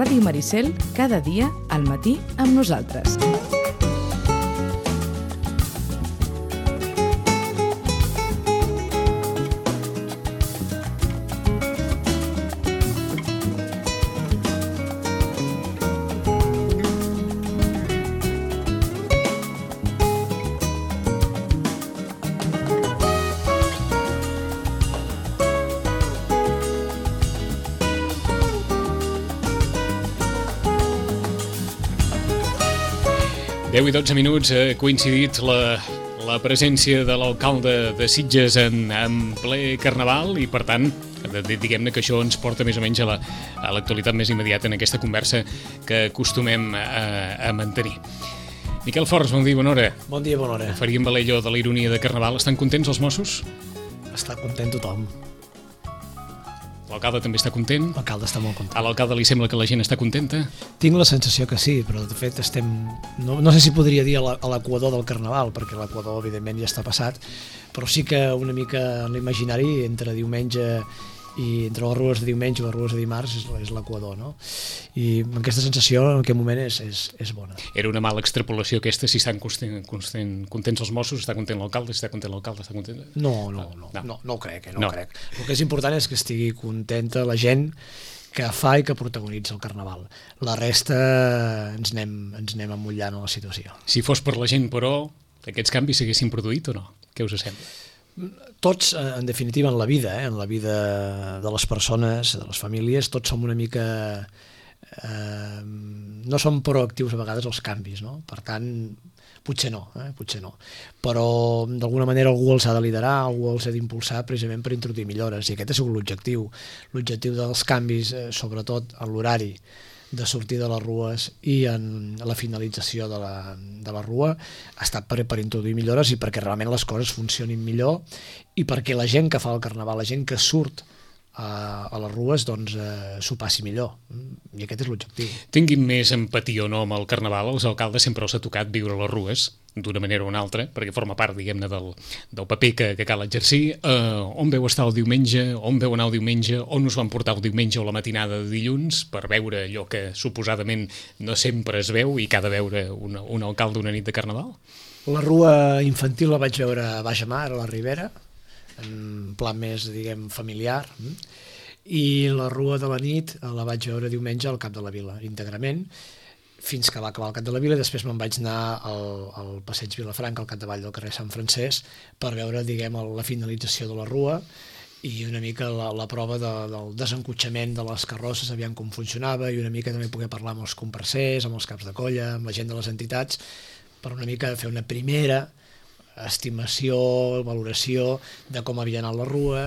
Ràdio Maricel, cada dia al matí amb nosaltres. Deu i 12 minuts, ha coincidit la presència de l'alcalde de Sitges en ple Carnaval i, per tant, diguem-ne que això ens porta més o menys a l'actualitat més immediata en aquesta conversa que acostumem a mantenir. Miquel Forns, bon dia, bona hora. Bon dia, bona hora. Faríem valer allò de la ironia de Carnaval. Estan contents els Mossos? Està content tothom. L'alcalde també està content? L'alcalde està molt content. A l'alcalde li sembla que la gent està contenta? Tinc la sensació que sí, però de fet estem... No sé si podria dir a l'equador del Carnaval, perquè l'equador evidentment ja està passat, però sí que una mica en l'imaginari entre diumenge i entre les rues de diumenge i les rues de dimarts és l'equador, no? I aquesta sensació en aquest moment és bona. Era una mala extrapolació aquesta, si estan contents els Mossos, està content l'alcalde, si està content l'alcalde, està content... No ho crec, no ho crec. El que és important és que estigui contenta la gent que fa i que protagonitza el Carnaval. La resta ens anem amullant a la situació. Si fos per la gent, però, aquests canvis s'haguessin produït o no? Què us sembla? Tots, en definitiva, en la vida de les persones, de les famílies, tots som una mica... no som proactius a vegades als canvis, no? Per tant, potser no. Però d'alguna manera algú els ha de liderar, algú els ha d'impulsar precisament per introduir millores, i aquest ha sigut l'objectiu. L'objectiu dels canvis, sobretot en l'horari de sortir de les rues i en la finalització de la rua, ha estat per introduir millores i perquè realment les coses funcionin millor i perquè la gent que fa el Carnaval, la gent que surt a les rues, doncs s'ho passi millor. I aquest és l'objectiu. Tinguin més empatia o no amb el Carnaval, als alcaldes sempre els ha tocat viure a les rues, d'una manera o una altra, perquè forma part, diguem-ne, del paper que cal exercir. On veu estar el diumenge, on veu anar el diumenge, on us van portar el diumenge o la matinada de dilluns, per veure allò que suposadament no sempre es veu i que ha de veure un alcalde una nit de Carnaval? La rua infantil la vaig veure a Baix Amar, a la Ribera, en plan més, diguem, familiar, i la rua de la nit la vaig veure diumenge al Cap de la Vila, íntegrament, fins que va acabar el Cap de la Vila, i després me'n vaig anar al Passeig Vilafranca, al capdavall del carrer Sant Francesc, per veure, diguem, la finalització de la rua i una mica la prova del desencotxament de les carrosses, aviam com funcionava, i una mica també poder parlar amb els comparsers, amb els caps de colla, amb la gent de les entitats, per una mica fer una primera estimació, valoració de com havia anat la rua,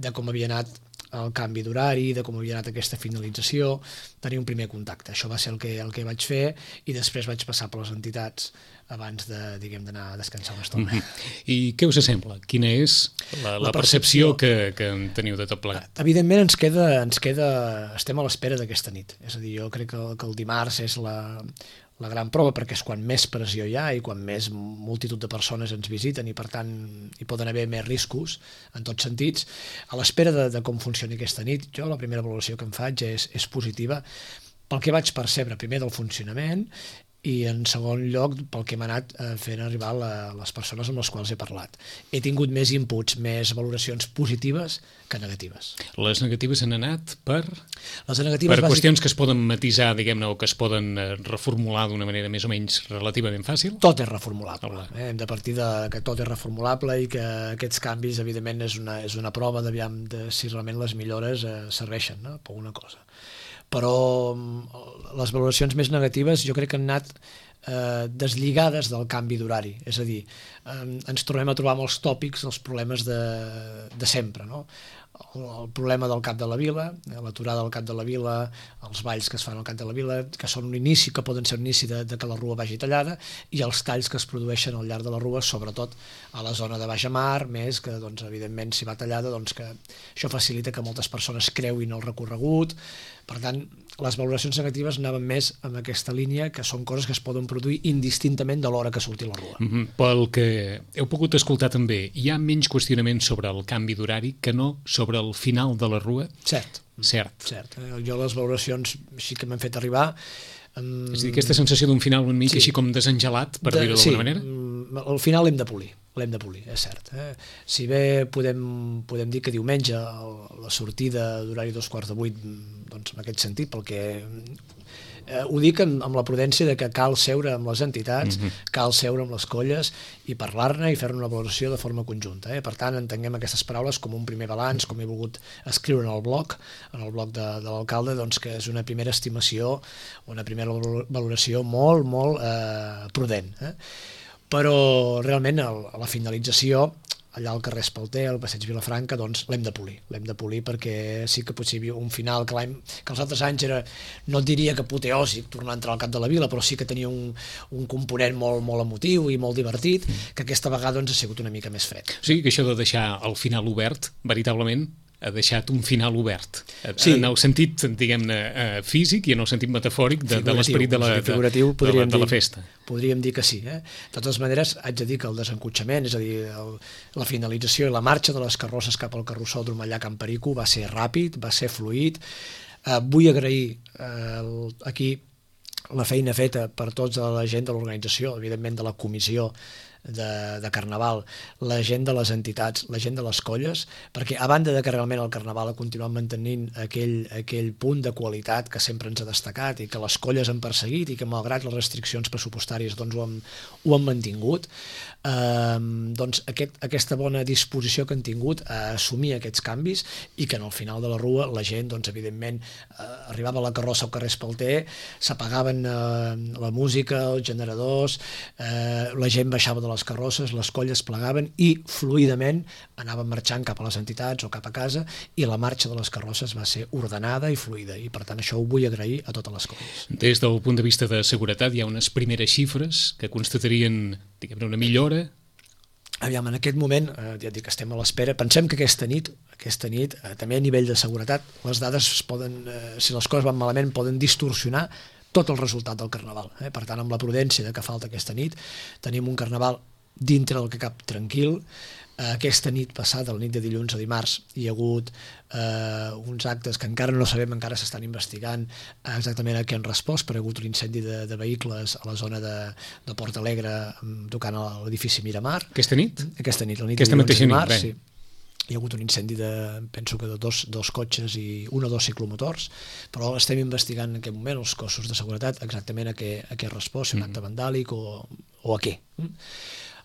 de com havia anat el canvi d'horari, de com havia anat aquesta finalització, tenir un primer contacte. Això va ser el que vaig fer i després vaig passar per les entitats abans d'anar a descansar una estona. I què us sembla? Quina és la percepció que en teniu de tot plegat? Evidentment estem a l'espera d'aquesta nit. És a dir, jo crec que el dimarts és la gran prova, perquè és quan més pressió hi ha i quan més multitud de persones ens visiten i per tant hi poden haver més riscos en tots sentits. A l'espera de com funcioni aquesta nit, jo la primera valoració que em faig és positiva pel que vaig percebre primer del funcionament i en segon lloc pel que m'ha anat fent arribar les persones amb les quals he parlat. He tingut més inputs, més valoracions positives que negatives. Les negatives han anat per qüestions que es poden matisar, diguem-ne, o que es poden reformular d'una manera més o menys relativament fàcil? Tot és reformulable. Hem de partir que tot és reformulable i que aquests canvis, evidentment, és una prova de si realment les millores serveixen per alguna cosa. Però les valoracions més negatives jo crec que han anat deslligades del canvi d'horari, és a dir, ens tornem a trobar amb els tòpics, els problemes de sempre, no? El problema del Cap de la Vila, l'aturada del Cap de la Vila, els balls que es fan al Cap de la Vila, que són un inici, que poden ser un inici de que la rua vagi tallada, i els talls que es produeixen al llarg de la rua, sobretot a la zona de Baix Amar, més que, doncs, evidentment, si va tallada, doncs, que això facilita que moltes persones creuin el recorregut. Per tant, les valoracions negatives anaven més en aquesta línia, que són coses que es poden produir indistintament de l'hora que surti la rua. Pel que heu pogut escoltar també, hi ha menys qüestionaments sobre el canvi d'horari que no sobre sobre el final de la rua. Cert. Cert. Jo les valoracions sí que m'han fet arribar. És a dir, aquesta sensació d'un final una mica així com desengelat, per dir-ho d'alguna manera? Sí, al final l'hem de polir, és cert. Si bé podem dir que diumenge la sortida d'horari 7:45, doncs en aquest sentit, perquè ho dic amb la prudència de que cal seure amb les entitats, cal seure amb les colles i parlar-ne i fer una valoració de forma conjunta. Per tant, entenguem aquestes paraules com un primer balanç, com he volgut escriure en el blog de l'alcalde, doncs que és una primera estimació, una primera valoració molt, molt prudent. Però realment a la finalització, allà al carrer Espalter, al passeig Vilafranca, doncs l'hem de polir perquè sí que potser hi havia un final que els altres anys era, no et diria que apoteòsic tornar a entrar al cap de la vila, però sí que tenia un component molt, molt emotiu i molt divertit, que aquesta vegada doncs ha sigut una mica més fred. O sigui que això de deixar el final obert, veritablement, ha deixat un final obert, en el sentit, diguem-ne, físic i en el sentit metafòric de l'esperit de la festa. Podríem dir que sí. De totes maneres, haig de dir que el desencotxament, és a dir, la finalització i la marxa de les carrosses cap al carrossòdrom allà a Can Perico va ser ràpid, va ser fluid. Vull agrair aquí la feina feta per tota la gent de l'organització, evidentment de la comissió de Carnaval, la gent de les entitats, la gent de les colles, perquè a banda de que realment el Carnaval ha continuat mantenint aquell punt de qualitat que sempre ens ha destacat i que les colles han perseguit i que malgrat les restriccions pressupostàries doncs ho han mantingut, doncs aquesta bona disposició que han tingut a assumir aquests canvis i que en el final de la rua la gent, doncs evidentment arribava la carrossa al carrer Espalter, s'apagaven la música, els generadors, la gent baixava de les carrosses, les colles plegaven i fluidament anaven marxant cap a les entitats o cap a casa i la marxa de les carrosses va ser ordenada i fluida i per tant això ho vull agrair a totes les colles. Des del punt de vista de seguretat hi ha unes primeres xifres que constatarien, diguem-ne, una millora? Aviam, en aquest moment, ja dic que estem a l'espera, pensem que aquesta nit, també a nivell de seguretat, les dades poden, si les coses van malament, poden distorsionar tot el resultat del Carnaval. Per tant, amb la prudència de que falta aquesta nit, tenim un Carnaval dintre del que cap tranquil. Aquesta nit passada, la nit de dilluns a dimarts, hi ha hagut uns actes que encara no sabem, encara s'estan investigant exactament a què han respost, però hi ha hagut un incendi de vehicles a la zona de Port Alegre tocant a l'edifici Miramar. Aquesta nit? Aquesta nit, la nit de dilluns a dimarts, sí. Hi ha hagut un incendi penso que de dos cotxes i un o dos ciclomotors, però estem investigant en aquest moment els cossos de seguretat exactament a què ha respost, si un acte vandàlic o a què.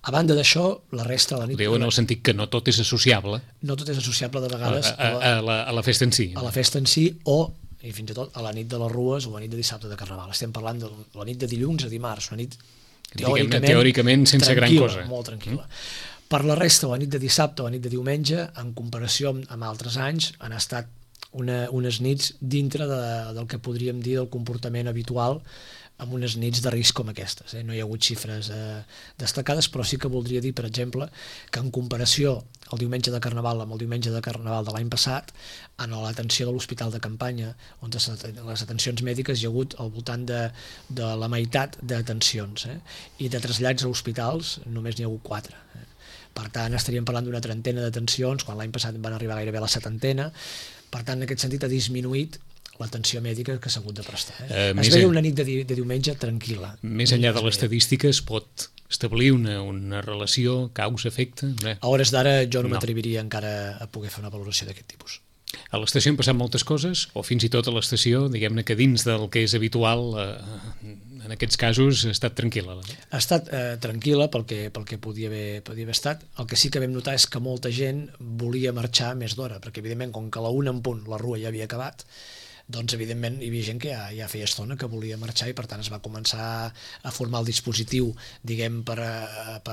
A banda d'això, la resta de la nit... Ho diu en el sentit que no tot és associable. No tot és associable de vegades a la festa en si. A la festa en si o, i fins i tot, a la nit de les rues o a la nit de dissabte de Carnaval. Estem parlant de la nit de dilluns a dimarts, una nit teòricament sense gran cosa. Molt tranquil·la. Per la resta, la nit de dissabte o la nit de diumenge, en comparació amb altres anys, han estat unes nits dintre del que podríem dir del comportament habitual amb unes nits de risc com aquestes. No hi ha hagut xifres destacades, però sí que voldria dir, per exemple, que en comparació el diumenge de Carnaval amb el diumenge de Carnaval de l'any passat, en l'atenció de l'Hospital de Campanya, on les atencions mèdiques hi ha hagut al voltant de la meitat d'atencions, i de trasllats a hospitals només n'hi ha hagut 4. Per tant, estaríem parlant d'una trentena d'atencions, quan l'any passat van arribar gairebé a la 70. Per tant, en aquest sentit ha disminuït l'atenció mèdica que s'ha hagut de prestar. Es veia una nit de diumenge tranquil·la. Més enllà de l'estadística, es pot establir una relació causa-efecte? A hores d'ara jo no m'atreviria encara a poder fer una valoració d'aquest tipus. A l'estació han passat moltes coses, o fins i tot a l'estació, diguem-ne que dins del que és habitual, en aquests casos ha estat tranquil·la? Ha estat tranquil·la pel que podia haver estat. El que sí que vam notar és que molta gent volia marxar més d'hora, perquè evidentment com que a la 1 en punt la rua ja havia acabat, doncs evidentment hi havia gent que ja feia estona que volia marxar i per tant es va començar a formar el dispositiu, diguem, per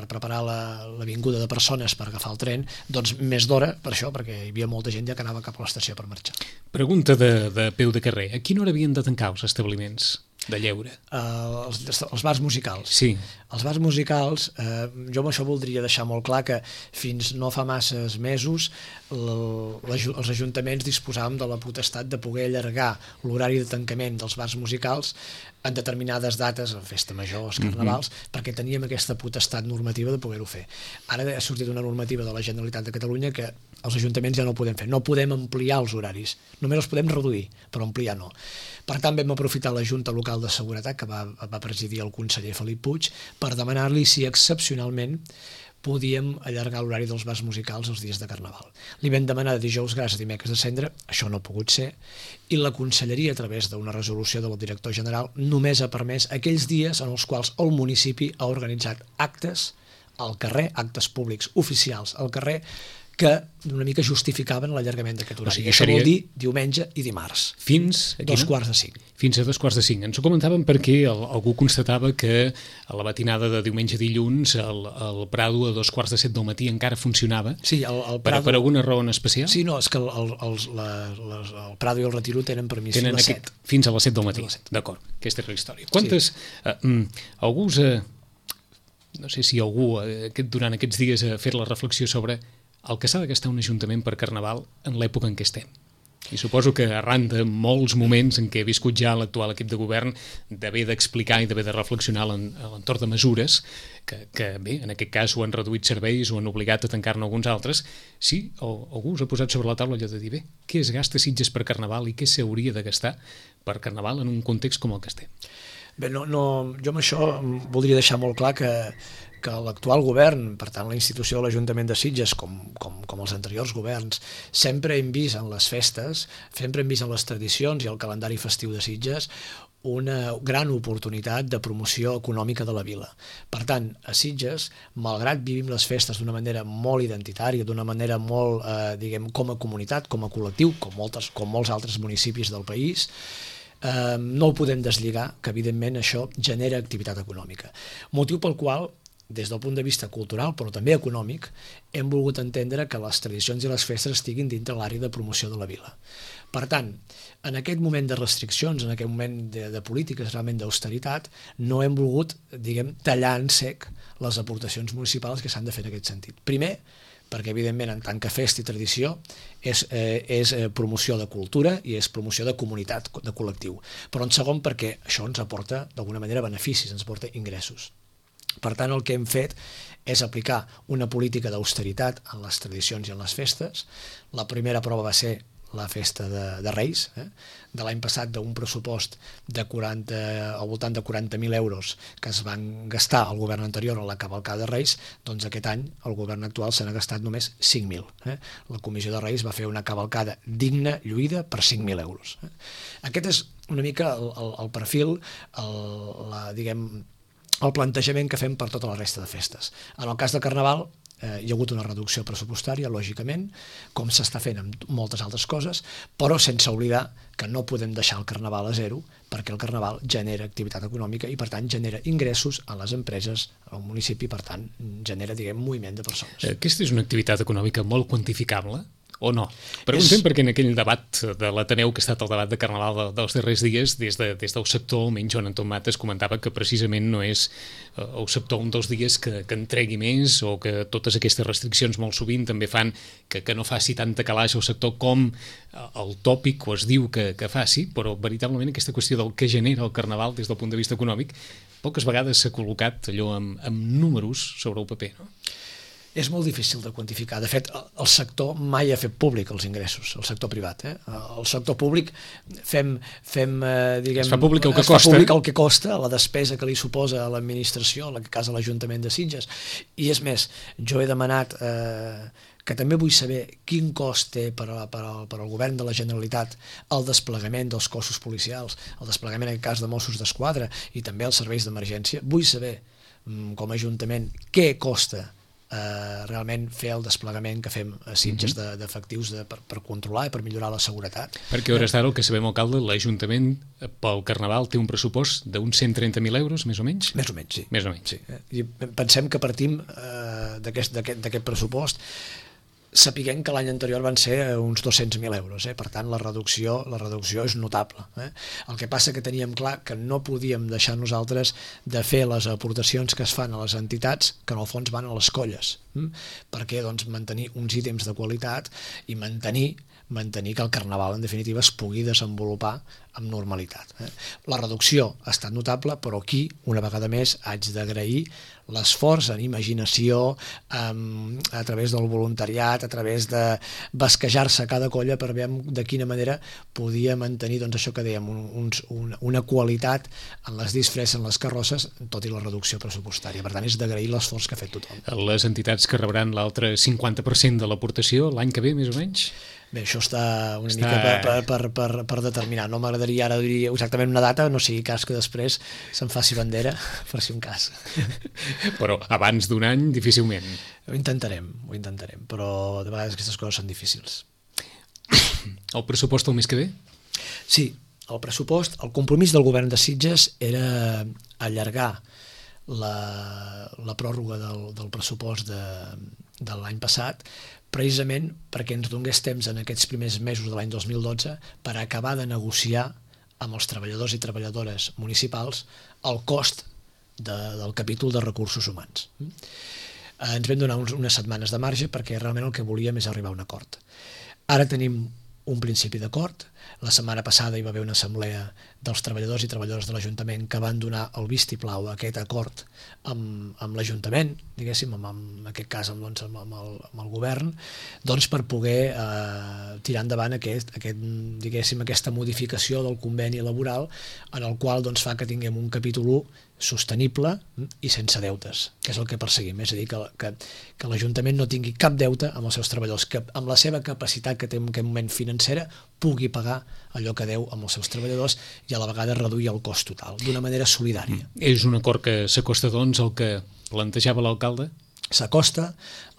preparar la vinguda de persones per agafar el tren, doncs més d'hora per això, perquè hi havia molta gent ja que anava cap a l'estació per marxar. Pregunta de peu de carrer. A quina hora havien de tancar els establiments? De lleure. Els bars musicals. Sí. Els bars musicals, jo amb això voldria deixar molt clar que fins no fa masses mesos els ajuntaments disposàvem de la potestat de poder allargar l'horari de tancament dels bars musicals en determinades dates, festa major, carnavals, perquè teníem aquesta potestat normativa de poder-ho fer. Ara ha sortit una normativa de la Generalitat de Catalunya que els ajuntaments ja no ho podem fer, no podem ampliar els horaris, només els podem reduir, però ampliar no. Per tant, vam aprofitar la Junta Local de Seguretat, que va presidir el conseller Felip Puig, per demanar-li si excepcionalment podíem allargar l'horari dels bars musicals els dies de Carnaval. Li vam demanar de dijous gras a dimecres de cendre, això no ha pogut ser, i la Conselleria, a través d'una resolució del director general, només ha permès aquells dies en els quals el municipi ha organitzat actes al carrer, actes públics oficials al carrer, que una mica justificaven l'allargament d'aquest horari. Això vol dir diumenge i dimarts. Fins a 2:45. Fins a 2:45. Ens ho comentàvem perquè algú constatava que a la matinada de diumenge i dilluns el Prado a 2:45 del matí encara funcionava. Sí, el Prado... Per alguna raó en especial? Sí, no, és que el Prado i el Retiro tenen permís fins a les 7. Fins a les 7 del matí. D'acord, aquesta és la història. Quantes... no sé si algú durant aquests dies ha fet la reflexió sobre el que s'ha de gastar un ajuntament per Carnaval en l'època en què estem. I suposo que arran de molts moments en què he viscut ja l'actual equip de govern d'haver d'explicar i d'haver de reflexionar a l'entorn de mesures que bé, en aquest cas ho han reduït serveis o han obligat a tancar-ne alguns altres, sí, algú us ha posat sobre la taula allò de dir, bé, què es gasta Sitges per Carnaval i què s'hauria de gastar per Carnaval en un context com el que estem? Bé, jo amb això voldria deixar molt clar que l'actual govern, per tant la institució de l'Ajuntament de Sitges, com els anteriors governs, sempre hem vist en les festes, sempre hem vist en les tradicions i el calendari festiu de Sitges una gran oportunitat de promoció econòmica de la vila. Per tant, a Sitges, malgrat vivim les festes d'una manera molt identitària, d'una manera molt, com a comunitat, com a col·lectiu, com molts altres municipis del país, no ho podem deslligar, que evidentment això genera activitat econòmica. Motiu pel qual, des del punt de vista cultural, però també econòmic, hem volgut entendre que les tradicions i les festes estiguin dintre l'àrea de promoció de la vila. Per tant, en aquest moment de restriccions, en aquest moment de polítiques realment d'austeritat, no hem volgut, tallar en sec les aportacions municipals que s'han de fer en aquest sentit. Primer, perquè evidentment en tant que festa i tradició és promoció de cultura i és promoció de comunitat, de col·lectiu. Però en segon perquè això ens aporta d'alguna manera beneficis, ens aporta ingressos. Per tant, el que hem fet és aplicar una política d'austeritat en les tradicions i en les festes. La primera prova va ser la festa de Reis, de l'any passat d'un pressupost al voltant de 40.000 euros que es van gastar al govern anterior a la cavalcada de Reis, doncs aquest any el govern actual se n'ha gastat només 5.000. La Comissió de Reis va fer una cavalcada digna, lluïda, per 5.000 euros. Aquest és una mica el perfil, el plantejament que fem per tota la resta de festes. En el cas de Carnaval hi ha hagut una reducció pressupostària, lògicament, com s'està fent amb moltes altres coses, però sense oblidar que no podem deixar el Carnaval a zero, perquè el Carnaval genera activitat econòmica i, per tant, genera ingressos a les empreses, al municipi, per tant, genera, moviment de persones. Aquesta és una activitat econòmica molt quantificable? O no? Preguntem perquè en aquell debat de l'Ateneu, que ha estat el debat de Carnaval dels darrers dies, des del sector, almenys Joan Anton Mates comentava que precisament no és el sector un dels dies que entregui més o que totes aquestes restriccions molt sovint també fan que no faci tanta calaix al sector com el tòpic o es diu que faci, però veritablement aquesta qüestió del que genera el Carnaval des del punt de vista econòmic poques vegades s'ha col·locat allò amb números sobre el paper, no? És molt difícil de quantificar. De fet, el sector mai ha fet públic els ingressos, el sector privat. El sector públic es fa públic el que costa. Es fa públic el que costa, la despesa que li suposa a l'administració, en aquest cas a l'Ajuntament de Sitges. I és més, jo he demanat que també vull saber quin cost té per al govern de la Generalitat el desplegament dels cossos policials, el desplegament en aquest cas de Mossos d'Esquadra i també els serveis d'emergència. Vull saber, com a Ajuntament, què costa realment fer el desplegament que fem a Sitges d'efectius per controlar i per millorar la seguretat. Perquè a hores d'ara, el que sabem, alcalde, l'Ajuntament pel Carnaval té un pressupost d'uns 130.000 euros, més o menys? Més o menys, sí. Més o menys. Sí. I pensem que partim d'aquest pressupost. sapiguem que l'any anterior van ser uns 200.000 euros, per tant la reducció és notable. El que passa que teníem clar que no podíem deixar nosaltres de fer les aportacions que es fan a les entitats, que en el fons van a les colles, perquè doncs, mantenir uns ítems de qualitat i mantenir que el Carnaval en definitiva es pugui desenvolupar amb normalitat. La reducció ha estat notable, però aquí, una vegada més, haig d'agrair l'esforç en imaginació, a través del voluntariat, a través de basquejar-se a cada colla per veure de quina manera podia mantenir doncs, això que dèiem, una qualitat en les disfresses, en les carrosses, tot i la reducció pressupostària. Per tant, és d'agrair l'esforç que ha fet tothom. Les entitats que rebran l'altre 50% de l'aportació l'any que ve, més o menys? Bé, això està una mica per determinar. No m'agradaria ara dir exactament una data, no sigui cas que després se'n faci bandera, per si un cas. Però abans d'un any, difícilment. Ho intentarem, però de vegades aquestes coses són difícils. El pressupost el mes que ve? Sí, el pressupost, el compromís del govern de Sitges era allargar la pròrroga del pressupost de l'any passat, precisament perquè ens donés temps en aquests primers mesos de l'any 2012 per acabar de negociar amb els treballadors i treballadores municipals el cost del capítol de recursos humans. Ens vam donar unes setmanes de marge perquè realment el que volíem és arribar a un acord. Ara tenim un principi d'acord. La setmana passada hi va haver una assemblea dels treballadors i treballadores de l'Ajuntament que van donar el vistiplau a aquest acord amb l'Ajuntament, diguéssim, en aquest cas amb el govern, doncs per poder tirar endavant aquesta modificació del conveni laboral en el qual doncs, fa que tinguem un capítol 1 sostenible i sense deutes, que és el que perseguim, és a dir, que l'Ajuntament no tingui cap deute amb els seus treballadors, que amb la seva capacitat que té en aquest moment financera pugui pagar allò que deu amb els seus treballadors i a la vegada reduir el cost total, d'una manera solidària. És un acord que s'acosta, doncs, al que plantejava l'alcalde? S'acosta,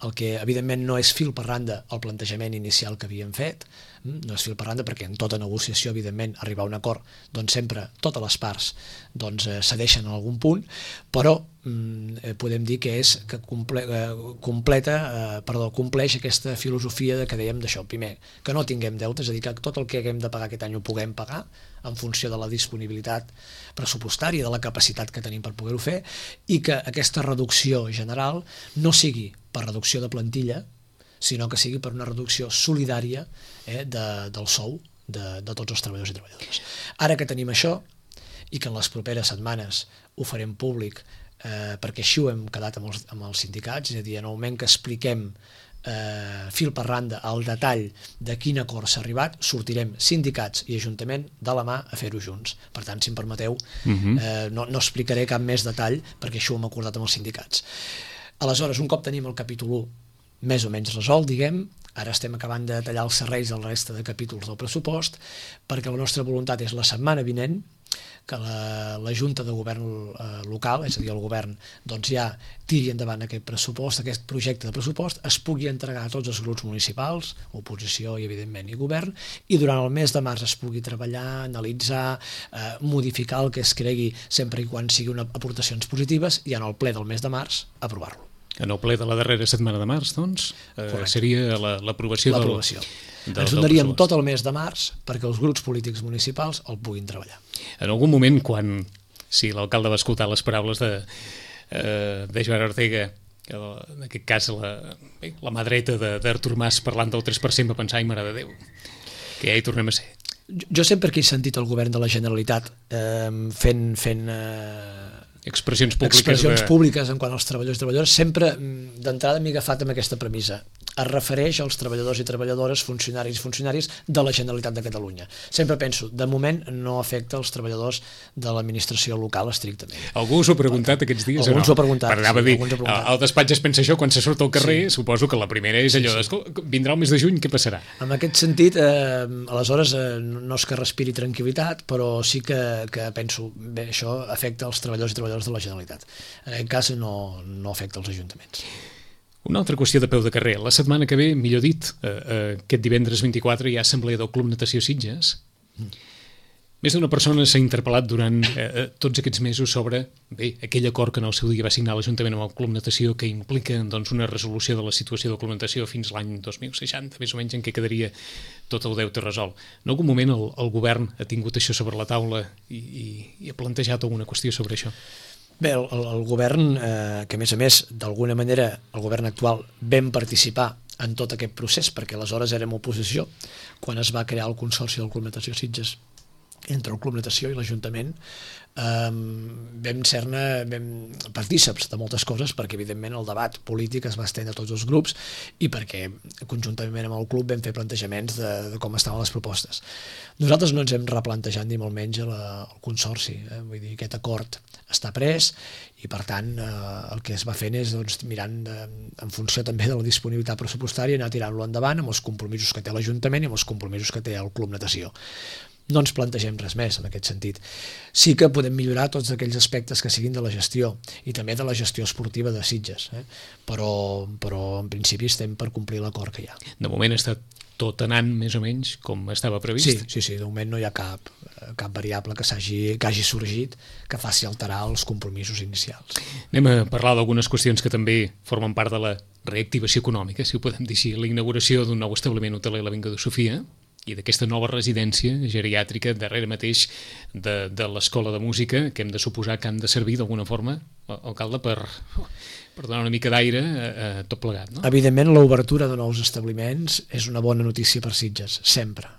el que evidentment no és fil per randa el plantejament inicial que havíem fet, no és fil per randa perquè en tota negociació, evidentment, arribar a un acord, doncs sempre totes les parts cedeixen en algun punt, però podem dir que compleix aquesta filosofia que dèiem d'això. Primer, que no tinguem deutes, és a dir, que tot el que haguem de pagar aquest any ho puguem pagar en funció de la disponibilitat pressupostària, de la capacitat que tenim per poder-ho fer, i que aquesta reducció general no sigui per reducció de plantilla, sinó que sigui per una reducció solidària del sou de tots els treballadors i treballadores. Ara que tenim això, i que en les properes setmanes ho farem públic, perquè així ho hem quedat amb els sindicats, és a dir, en el moment que expliquem fil per randa al detall de quin acord s'ha arribat, sortirem sindicats i Ajuntament de la mà a fer-ho junts. Per tant, si em permeteu, no explicaré cap més detall perquè això ho hem acordat amb els sindicats. Aleshores, un cop tenim el capítol 1 més o menys resolt, diguem, ara estem acabant de tallar els serrells del resta de capítols del pressupost, perquè la nostra voluntat és la setmana vinent que la Junta de Govern local, és a dir, el govern, doncs ja tiri endavant aquest pressupost, aquest projecte de pressupost, es pugui entregar a tots els grups municipals, oposició i evidentment i govern, i durant el mes de març es pugui treballar, analitzar, modificar el que es cregui sempre i quan siguin aportacions positives i en el ple del mes de març aprovar-lo. En el ple de la darrera setmana de març, doncs, seria l'aprovació del pressupost. Ens donaríem tot el mes de març perquè els grups polítics municipals el puguin treballar. En algun moment, si l'alcalde va escoltar les paraules de Joan Ortega, en aquest cas la mà dreta d'Artur Mas parlant del 3%, va pensar, ai, mare de Déu, que ja hi tornem a ser. Jo sempre que he sentit el govern de la Generalitat fent expressions públiques en quant als treballadors i treballadores, sempre d'entrada m'he agafat amb aquesta premissa. Es refereix als treballadors i treballadores, funcionaris i funcionaris de la Generalitat de Catalunya. Sempre penso, de moment no afecta els treballadors de l'administració local estrictament. Algú us ho ha preguntat aquests dies? Alguns ho ha preguntat. Anava a dir, el despatx es pensa això quan se surt al carrer, suposo que la primera és allò vindrà el mes de juny, què passarà? En aquest sentit, aleshores, no és que respiri tranquil·litat, però sí que penso, bé, això afecta els treballadors i treballadors de la Generalitat. En aquest cas no afecta els ajuntaments. Una altra qüestió de peu de carrer. La setmana que ve, millor dit, aquest divendres 24 hi ha assemblea del Club Natació Sitges. Més d'una persona s'ha interpel·lat durant tots aquests mesos sobre aquell acord que en el seu dia va signar l'Ajuntament amb el Club Natació, que implica una resolució de la situació del Club Natació fins l'any 2060, més o menys, en què quedaria tot el deute resolt. En algun moment el govern ha tingut això sobre la taula i ha plantejat alguna qüestió sobre això? Bé, el govern, que a més, d'alguna manera, el govern actual vam participar en tot aquest procés, perquè aleshores érem oposició, quan es va crear el Consorci del Club Natació Sitges, entre el Club Natació i l'Ajuntament, vam ser-ne partíceps de moltes coses, perquè evidentment el debat polític es va estendre a tots els grups i perquè conjuntament amb el club vam fer plantejaments de com estaven les propostes. Nosaltres no ens hem replantejat ni molt menys el Consorci, vull dir, aquest acord està pres i per tant el que es va fent és mirant en funció també de la disponibilitat pressupostària anar tirant-lo endavant amb els compromisos que té l'Ajuntament i amb els compromisos que té el Club Natació. No ens plantegem res més en aquest sentit. Sí que podem millorar tots aquells aspectes que siguin de la gestió i també de la gestió esportiva de Sitges, però en principi estem per complir l'acord que hi ha. De moment està tot anant més o menys com estava previst? Sí, de moment no hi ha cap variable que hagi sorgit que faci alterar els compromisos inicials. Anem a parlar d'algunes qüestions que també formen part de la reactivació econòmica, si ho podem dir així, la inauguració d'un nou establiment hoteler a l'Avinguda Sofia i d'aquesta nova residència geriàtrica darrere mateix de l'Escola de Música, que hem de suposar que han de servir d'alguna forma, alcalde, per donar una mica d'aire a tot plegat, no? Evidentment, l'obertura de nous establiments és una bona notícia per Sitges, sempre,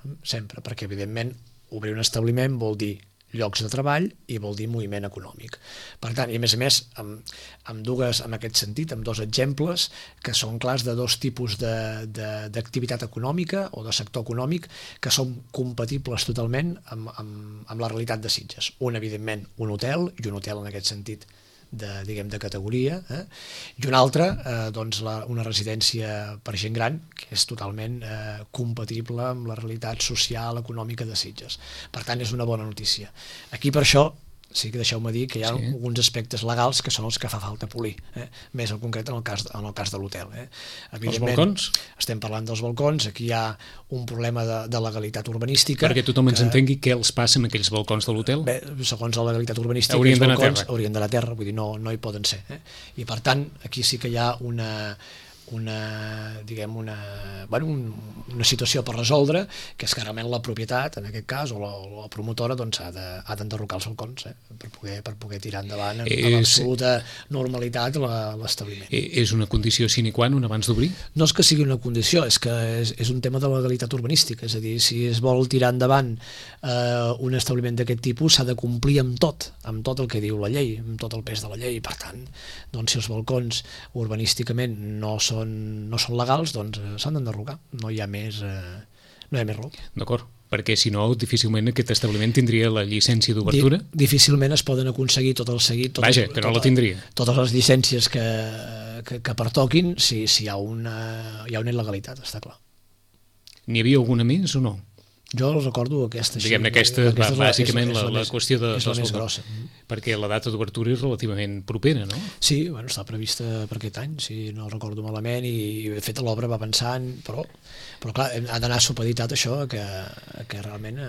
perquè evidentment obrir un establiment vol dir llocs de treball i vol dir moviment econòmic. Per tant, i a més, en aquest sentit, amb dos exemples que són clars de dos tipus d'activitat econòmica o de sector econòmic que són compatibles totalment amb la realitat de Sitges. Un, evidentment, un hotel, i un hotel en aquest sentit de categoria, i un altre, una residència per gent gran, que és totalment compatible amb la realitat social, econòmica de Sitges. Per tant, és una bona notícia. Aquí, per això, sí que deixeu-me dir que hi ha alguns aspectes legals que són els que fa falta polir, més en concret en el cas de l'hotel. Els balcons? Estem parlant dels balcons, aquí hi ha un problema de legalitat urbanística. Perquè tothom ens entengui què els passa amb aquells balcons de l'hotel? Bé, segons la legalitat urbanística, haurien d'anar a terra. Haurien d'anar a terra, vull dir, no hi poden ser. I per tant, aquí sí que hi ha una situació per resoldre, que és que realment la propietat, en aquest cas, o la promotora, ha d'enderrocar els balcons per poder tirar endavant amb l'absoluta normalitat l'establiment. És una condició sine qua non abans d'obrir? No és que sigui una condició, és que és un tema de legalitat urbanística, és a dir, si es vol tirar endavant un establiment d'aquest tipus s'ha de complir amb tot el que diu la llei, amb tot el pes de la llei, i per tant, si els balcons urbanísticament no són legals, doncs s'han d'enderrocar, no hi ha més raó. D'acord, perquè si no difícilment aquest establiment tindria la llicència d'obertura? Difícilment es poden aconseguir tot el seguit, Vaja, que no la tindria. Totes les llicències que pertoquin si hi ha una il·legalitat, està clar. N'hi havia alguna més o no? Jo recordo aquesta... Diguem-ne, aquesta bàsicament la qüestió és la més grossa. Perquè la data d'obertura és relativament propera, no? Sí, està prevista per aquest any, si no recordo malament, i de fet l'obra va avançant, però clar, ha d'anar supeditat això que realment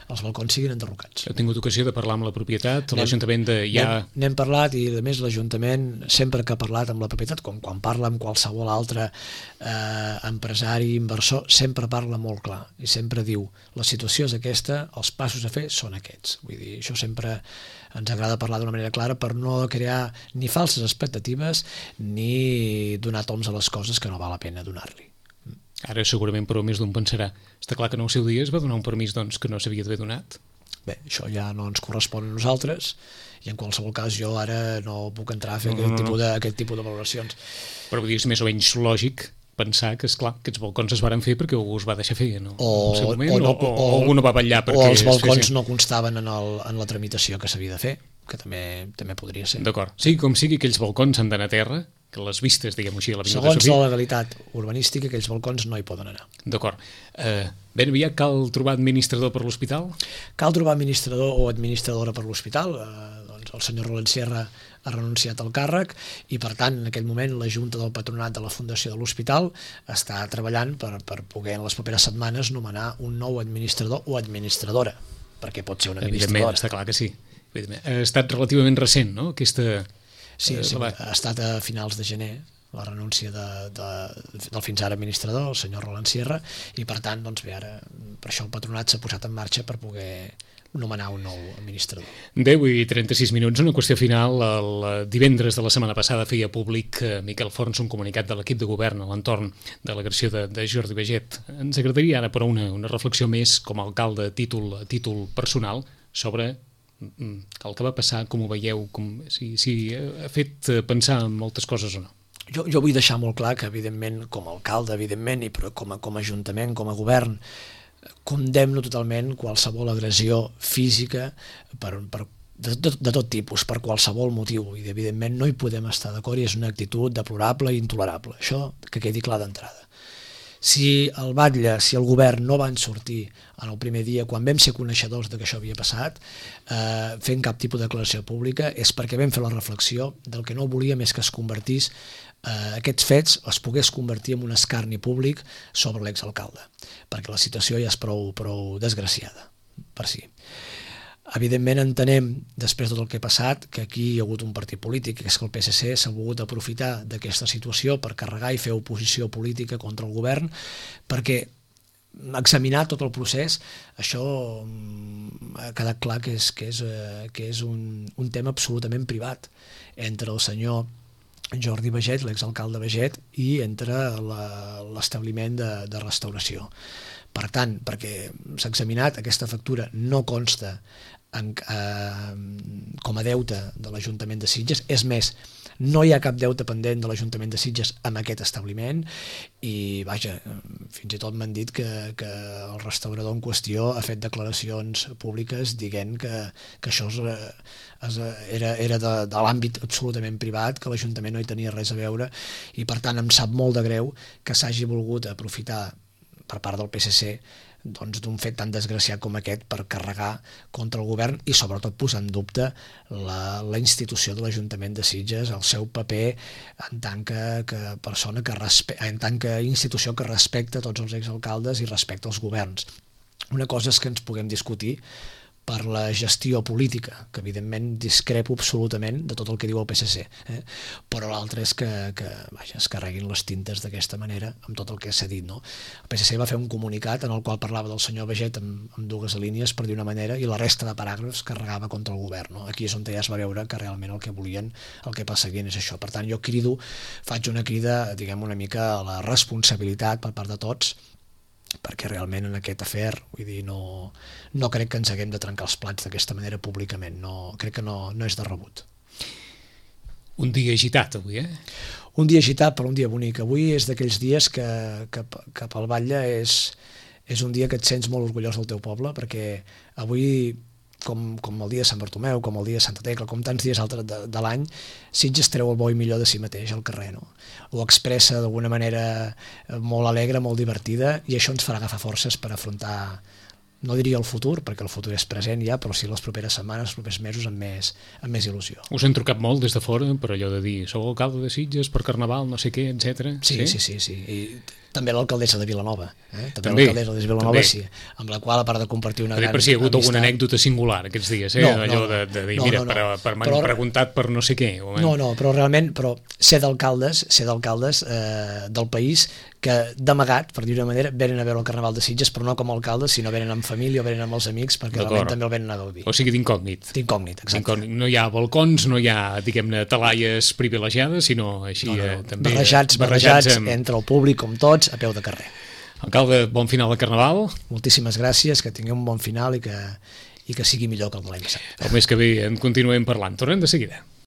els balcons siguin enderrocats. Heu tingut ocasió de parlar amb la propietat, l'Ajuntament N'hem parlat, i a més l'Ajuntament sempre que ha parlat amb la propietat, com quan parla amb qualsevol altre empresari, inversor, sempre parla molt clar i sempre diu, la situació és aquesta, els passos a fer són aquests. Vull dir, això sempre ens agrada parlar d'una manera clara per no crear ni falses expectatives ni donar toms a les coses que no val la pena donar-li. Ara segurament, però, més d'un pensarà. Està clar que en el seu dia es va donar un permís que no s'havia d'haver donat? Bé, això ja no ens correspon a nosaltres i en qualsevol cas jo ara no puc entrar a fer aquest tipus de valoracions. Però vull dir, és més o menys lògic pensar que, esclar, aquests balcons es varen fer perquè algú es va deixar fer en el seu moment, o algú no va vetllar perquè... O els balcons no constaven en la tramitació que s'havia de fer, que també podria ser. D'acord. Sí, com sigui, aquells balcons han d'anar a terra, que les vistes, diguem-ho així, a l'Avinguda Sofia... Segons la legalitat urbanística, aquells balcons no hi poden anar. D'acord. Ben aviat cal trobar administrador per l'hospital? Cal trobar administrador o administradora per l'hospital. El senyor Roland Sierra ha renunciat al càrrec i, per tant, en aquell moment la Junta del Patronat de la Fundació de l'Hospital està treballant per poder en les properes setmanes nomenar un nou administrador o administradora. perquè pot ser una Evidentment, administradora. està clar que sí. Ha estat relativament recent, no?, aquesta... Sí, ha estat a finals de gener la renúncia del fins ara administrador, el senyor Roland Sierra, i per tant, doncs bé, ara per això el patronat s'ha posat en marxa per poder nomenar un nou administrador. 10:36, una qüestió final. El divendres de la setmana passada feia públic Miquel Forns un comunicat de l'equip de govern a l'entorn de l'agressió de Jordi Baiget. Ens agradaria ara, però, una reflexió més com a alcalde a títol personal sobre el que va passar, com ho veieu, si ha fet pensar en moltes coses o no. Jo vull deixar molt clar que, evidentment, com a alcalde, evidentment, i però com a ajuntament, com a govern, condemno totalment qualsevol agressió física de tot tipus, per qualsevol motiu, i evidentment no hi podem estar d'acord i és una actitud deplorable i intolerable. Això que quedi clar d'entrada. Si el batlle, si el govern no van sortir en el primer dia, quan vam ser coneixedors de que això havia passat, fent cap tipus de declaració pública, és perquè vam fer la reflexió del que no volíem és que es convertís aquests fets es pogués convertir en un escarni públic sobre l'exalcalde, perquè la situació ja és prou desgraciada per si. Evidentment entenem, després de tot el que ha passat, que aquí hi ha hagut un partit polític, que és que el PSC s'ha volgut aprofitar d'aquesta situació per carregar i fer oposició política contra el govern, perquè examinar tot el procés, això ha quedat clar que és un tema absolutament privat entre el senyor Jordi Baiget, l'exalcalde Baiget, i entre l'establiment de restauració. Per tant, perquè s'ha examinat, aquesta factura no consta com a deute de l'Ajuntament de Sitges, és més, no hi ha cap deute pendent de l'Ajuntament de Sitges amb aquest establiment i, vaja, fins i tot m'han dit que el restaurador en qüestió ha fet declaracions públiques dient que això era de l'àmbit absolutament privat, que l'Ajuntament no hi tenia res a veure i, per tant, em sap molt de greu que s'hagi volgut aprofitar per part del PSC d'un fet tan desgraciat com aquest per carregar contra el govern i sobretot posar en dubte la institució de l'Ajuntament de Sitges, el seu paper en tant que persona en tant que institució que respecta tots els exalcaldes i respecta els governs. Una cosa és que ens puguem discutir per la gestió política, que evidentment discrepo absolutament de tot el que diu el PSC, però l'altre és que es carreguin les tintes d'aquesta manera amb tot el que s'ha dit. No? El PSC va fer un comunicat en el qual parlava del senyor Baiget amb dues línies, per dir una manera, i la resta de paràgrafs carregava contra el govern. No? Aquí és on ja es va veure que realment el que volien, el que perseguien és això. Per tant, jo faig una crida, diguem una mica a la responsabilitat per part de tots, perquè realment en aquest afer, vull dir, no crec que ens haguem de trencar els plats d'aquesta manera públicament, crec que no és de rebut. Un dia agitat avui, Un dia agitat, però un dia bonic. Avui és d'aquells dies que pel batlle és un dia que et sents molt orgullós del teu poble, perquè avui, com el dia de Sant Bartomeu, com el dia de Santa Tecla, com tants dies altres de l'any, Sitges treu el bo i millor de si mateix al carrer, no? Ho expressa d'alguna manera molt alegre, molt divertida, i això ens farà agafar forces per afrontar, no diria el futur, perquè el futur és present ja, però sí les properes setmanes, els propers mesos amb més il·lusió. Us han trucat molt des de fora per allò de dir sou alcalde de Sitges per Carnaval, no sé què, etc. Sí. I també l'alcaldessa de Vilanova. També l'alcaldessa de Vilanova, sí, amb la qual, a part de compartir una gran amistat... Per si hi ha hagut alguna anècdota singular aquests dies, allò de dir, mira, per m'han preguntat per no sé què. No, però realment, ser d'alcaldes del país que d'amagat, per dir-ho d'una manera, venen a veure el Carnaval de Sitges, però no com a alcaldes, sinó venen amb família o venen amb els amics, perquè realment també el venen a gaudir. O sigui, d'incògnit. D'incògnit, exacte. No hi ha balcons, no hi ha, diguem-ne, talaies privilegiades, sinó així també... Barrejats entre el públic, com tots, a peu de carrer. Alcalde, bon final de Carnaval. Moltíssimes gràcies, que tingueu un bon final i que sigui millor que el de l'any passat. El mes que ve en continuem parlant. Tornem de seguida.